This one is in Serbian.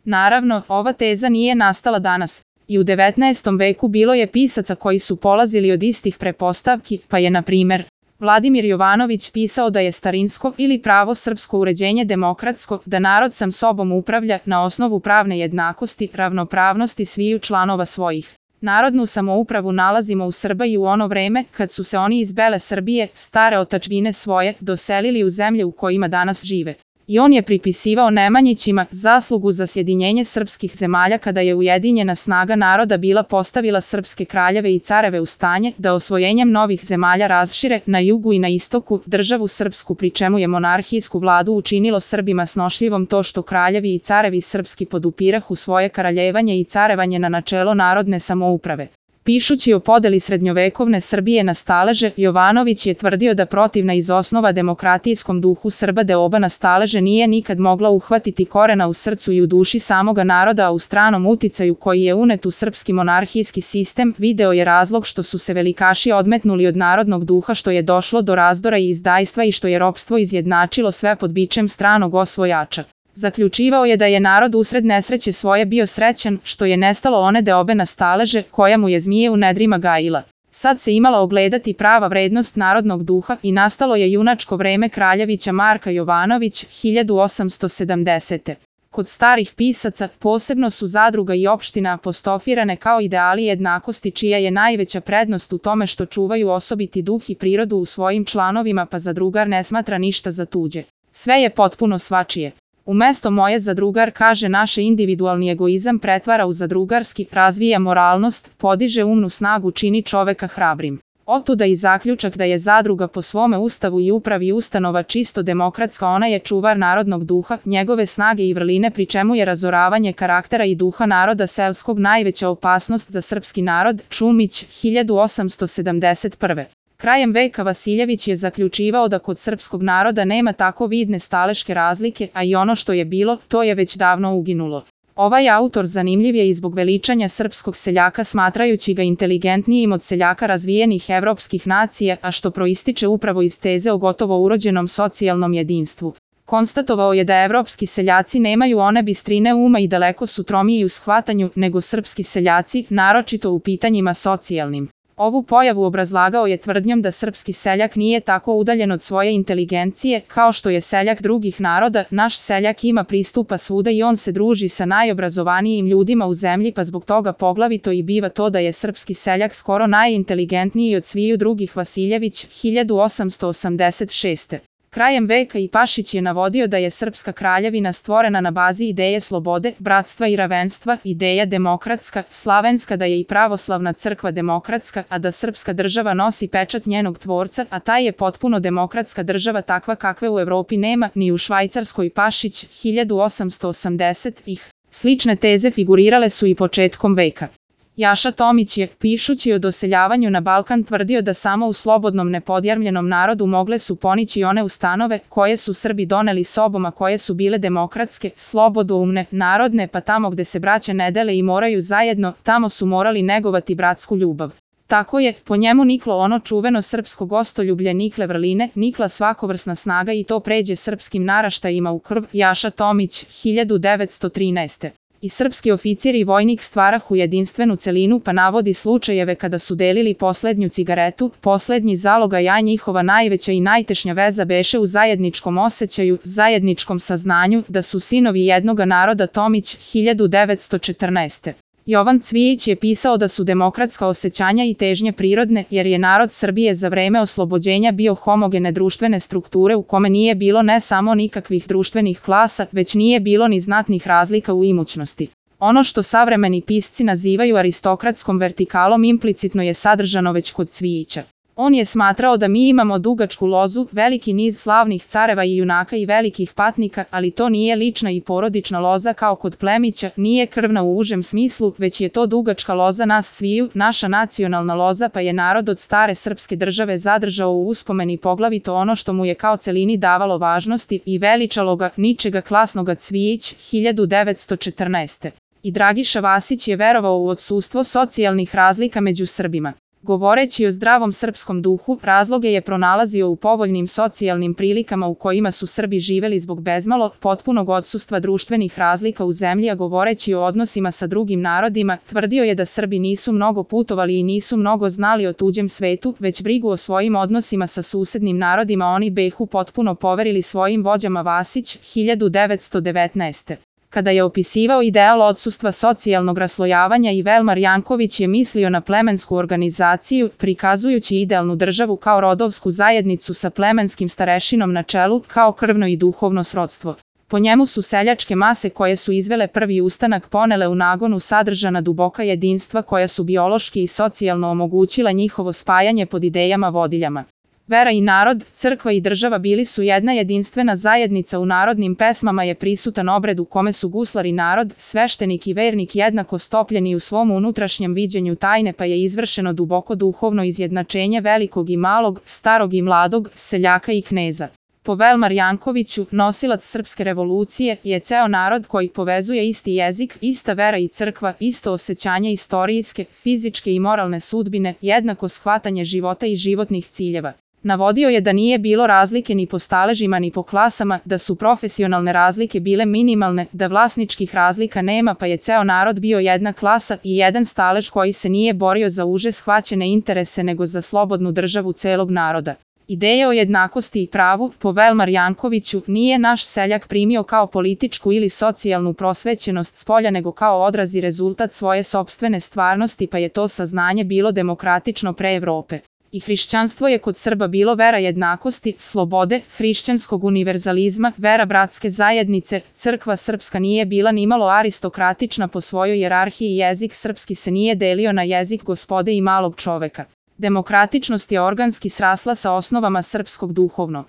Naravno, ova teza nije nastala danas. I u 19. veku bilo je pisaca koji su polazili od istih prepostavki, pa je, na primer, Vladimir Jovanović pisao da je starinsko ili pravo srpsko uređenje demokratsko, da narod sam sobom upravlja na osnovu pravne jednakosti, ravnopravnosti sviju članova svojih. Narodnu samoupravu nalazimo u Srbiji u ono vreme kad su se oni iz bele Srbije, stare otadžbine svoje, doselili u zemlje u kojima danas žive. I on je pripisivao Nemanjićima zaslugu za sjedinjenje srpskih zemalja kada je ujedinjena snaga naroda bila postavila srpske kraljeve i careve u stanje da osvojenjem novih zemalja razšire na jugu i na istoku državu srpsku, pri čemu je monarhijsku vladu učinilo Srbima snošljivom to što kraljevi i carevi srpski podupirahu svoje kraljevanje i carevanje na načelo narodne samouprave. Pišući o podeli srednjovekovne Srbije na staleže, Jovanović je tvrdio da protivna iz osnova demokratijskom duhu Srba deoba na staleže nije nikad mogla uhvatiti korena u srcu i u duši samoga naroda, a u stranom uticaju koji je unet u srpski monarhijski sistem video je razlog što su se velikaši odmetnuli od narodnog duha, što je došlo do razdora i izdajstva i što je ropstvo izjednačilo sve pod bičem stranog osvojača. Zaključivao je da je narod usred nesreće svoje bio srećan, što je nestalo one deobe na staleže, koja mu je zmije u nedrima gajila. Sad se imala ogledati prava vrednost narodnog duha i nastalo je junačko vreme kraljevića Marka Jovanović, 1870. Kod starih pisaca, posebno su zadruga i opština apostrofirane kao ideali jednakosti, čija je najveća prednost u tome što čuvaju osobiti duh i prirodu u svojim članovima, pa zadrugar ne smatra ništa za tuđe. Sve je potpuno svačije. Umesto moje zadrugar, kaže, naše individualni egoizam pretvara u zadrugarski, razvija moralnost, podiže umnu snagu, čini čoveka hrabrim. Otuda i zaključak da je zadruga po svome ustavu i upravi ustanova čisto demokratska, ona je čuvar narodnog duha, njegove snage i vrline, pri čemu je razoravanje karaktera i duha naroda selskog najveća opasnost za srpski narod. Čumić, 1871. Krajem veka Vasiljević je zaključivao da kod srpskog naroda nema tako vidne staleške razlike, a i ono što je bilo, to je već davno uginulo. Ovaj autor zanimljiv je i zbog veličanja srpskog seljaka, smatrajući ga inteligentnijim od seljaka razvijenih evropskih nacija, a što proističe upravo iz teze o gotovo urođenom socijalnom jedinstvu. Konstatovao je da evropski seljaci nemaju one bistrine uma i daleko su tromiji u shvatanju nego srpski seljaci, naročito u pitanjima socijalnim. Ovu pojavu obrazlagao je tvrdnjom da srpski seljak nije tako udaljen od svoje inteligencije kao što je seljak drugih naroda. Naš seljak ima pristupa svuda i on se druži sa najobrazovanijim ljudima u zemlji, pa zbog toga poglavito i biva to da je srpski seljak skoro najinteligentniji od sviju drugih. Vasiljević, 1886. Krajem veka i Pašić je navodio da je srpska kraljevina stvorena na bazi ideje slobode, bratstva i ravenstva, ideja demokratska, slavenska da je i pravoslavna crkva demokratska, a da srpska država nosi pečat njenog tvorca, a taj je potpuno demokratska država takva kakve u Evropi nema, ni u Švajcarskoj. Pašić, 1880. Slične teze figurirale su i početkom veka. Jaša Tomić je, pišući o doseljavanju na Balkan, tvrdio da samo u slobodnom nepodjarmljenom narodu mogle su ponići one ustanove koje su Srbi doneli sobom, a koje su bile demokratske, slobodoumne, narodne, pa tamo gde se braća ne dele i moraju zajedno, tamo su morali negovati bratsku ljubav. Tako je, po njemu, niklo ono čuveno srpsko gostoljublje, nikle vrline, nikla svakovrsna snaga i to pređe srpskim naraštajima u krv. Jaša Tomić, 1913. I srpski oficir i vojnik stvarahu jedinstvenu celinu, pa navodi slučajeve kada su delili poslednju cigaretu, poslednji zalogaj, a njihova najveća i najtešnja veza beše u zajedničkom osjećaju, zajedničkom saznanju da su sinovi jednoga naroda. Tomić, 1914. Jovan Cvijić je pisao da su demokratska osjećanja i težnje prirodne, jer je narod Srbije za vreme oslobođenja bio homogene društvene strukture u kome nije bilo ne samo nikakvih društvenih klasa, već nije bilo ni znatnih razlika u imućnosti. Ono što savremeni pisci nazivaju aristokratskom vertikalom implicitno je sadržano već kod Cvijića. On je smatrao da mi imamo dugačku lozu, veliki niz slavnih careva i junaka i velikih patnika, ali to nije lična i porodična loza kao kod Plemića, nije krvna u užem smislu, već je to dugačka loza nas sviju, naša nacionalna loza, pa je narod od stare srpske države zadržao u uspomeni poglavito ono što mu je kao celini davalo važnosti i veličalo ga, ničega klasnoga. Cvijić, 1914. I Dragiša Vasić je verovao u odsustvo socijalnih razlika među Srbima. Govoreći o zdravom srpskom duhu, razloge je pronalazio u povoljnim socijalnim prilikama u kojima su Srbi živeli zbog bezmalo potpunog odsustva društvenih razlika u zemlji, a govoreći o odnosima sa drugim narodima, tvrdio je da Srbi nisu mnogo putovali i nisu mnogo znali o tuđem svetu, već brigu o svojim odnosima sa susednim narodima oni behu potpuno poverili svojim vođama. Vasić, 1919. Kada je opisivao ideal odsustva socijalnog raslojavanja, i Velmar Janković je mislio na plemensku organizaciju, prikazujući idealnu državu kao rodovsku zajednicu sa plemenskim starešinom na čelu, kao krvno i duhovno srodstvo. Po njemu su seljačke mase koje su izvele prvi ustanak ponele u nagonu sadržana duboka jedinstva koja su biološki i socijalno omogućila njihovo spajanje pod idejama vodiljama. Vera i narod, crkva i država bili su jedna jedinstvena zajednica. U narodnim pesmama je prisutan obred u kome su guslar i narod, sveštenik i vernik jednako stopljeni u svom unutrašnjem viđenju tajne, pa je izvršeno duboko duhovno izjednačenje velikog i malog, starog i mladog, seljaka i kneza. Po Velmar Jankoviću, nosilac srpske revolucije je ceo narod koji povezuje isti jezik, ista vera i crkva, isto osjećanje istorijske, fizičke i moralne sudbine, jednako shvatanje života i životnih ciljeva. Navodio je da nije bilo razlike ni po staležima ni po klasama, da su profesionalne razlike bile minimalne, da vlasničkih razlika nema, pa je ceo narod bio jedna klasa i jedan stalež koji se nije borio za uže shvaćene interese nego za slobodnu državu celog naroda. Ideje o jednakosti i pravu, po Velmar Jankoviću, nije naš seljak primio kao političku ili socijalnu prosvećenost spolja nego kao odraz i rezultat svoje sopstvene stvarnosti, pa je to saznanje bilo demokratično pre Evrope. I hrišćanstvo je kod Srba bilo vera jednakosti, slobode, hrišćanskog univerzalizma, vera bratske zajednice. Crkva srpska nije bila nimalo aristokratična po svojoj hijerarhiji, jezik srpski se nije delio na jezik gospode i malog čoveka. Demokratičnost je organski srasla sa osnovama srpskog duhovno